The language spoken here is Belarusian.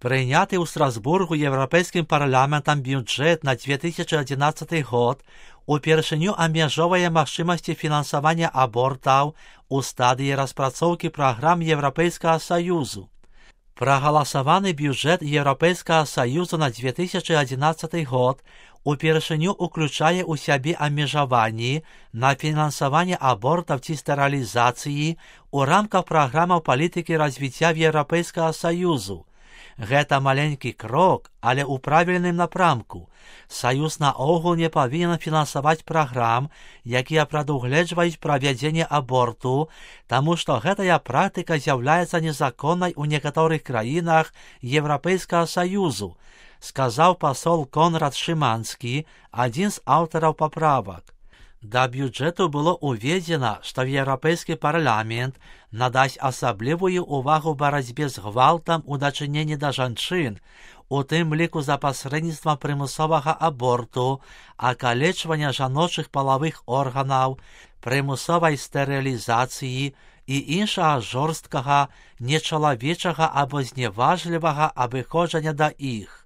Прийнятий у Страсбургу Європейським парламентом бюджет на 2011 год упершыню абмяжоўвае магчымасці фінансавання абортаў у стадыі распрацоўкі праграм Еўрапейскага Саюзу. Прагаласаваны бюджет Еўрапейскага Саюзу на 2011 год упершыню уключае ў сябе абмежаванні на фінансаванне абортаў ці стэрылізацыі ў рамках праграмаў палітыкі развіцця Еўрапейскага Саюзу. Гэта маленькі крок, але ў правільным напрамку. Саюз наогул не павінен фінансаваць праграм, якія прадугледжваюць правядзенне аборту, таму што гэтая практыка з'яўляецца незаконнай у некаторых краінах Еўрапейскага Саюзу, сказаў пасол Конрад Шыманскі, адзін з аўтараў паправак. Да бюджэту было ўведзена, што Еўрапейскі парламент надасць асаблівую ўвагу барацьбе з гвалтам у дачыненні да жанчын, у тым ліку за пасрэдніцтвам прымусовага аборту, акалечвання жаночых палавых органаў, прымусовай стэрылізацыі і іншага жорсткага, нечалавечага або зневажлівага абыходжання да іх.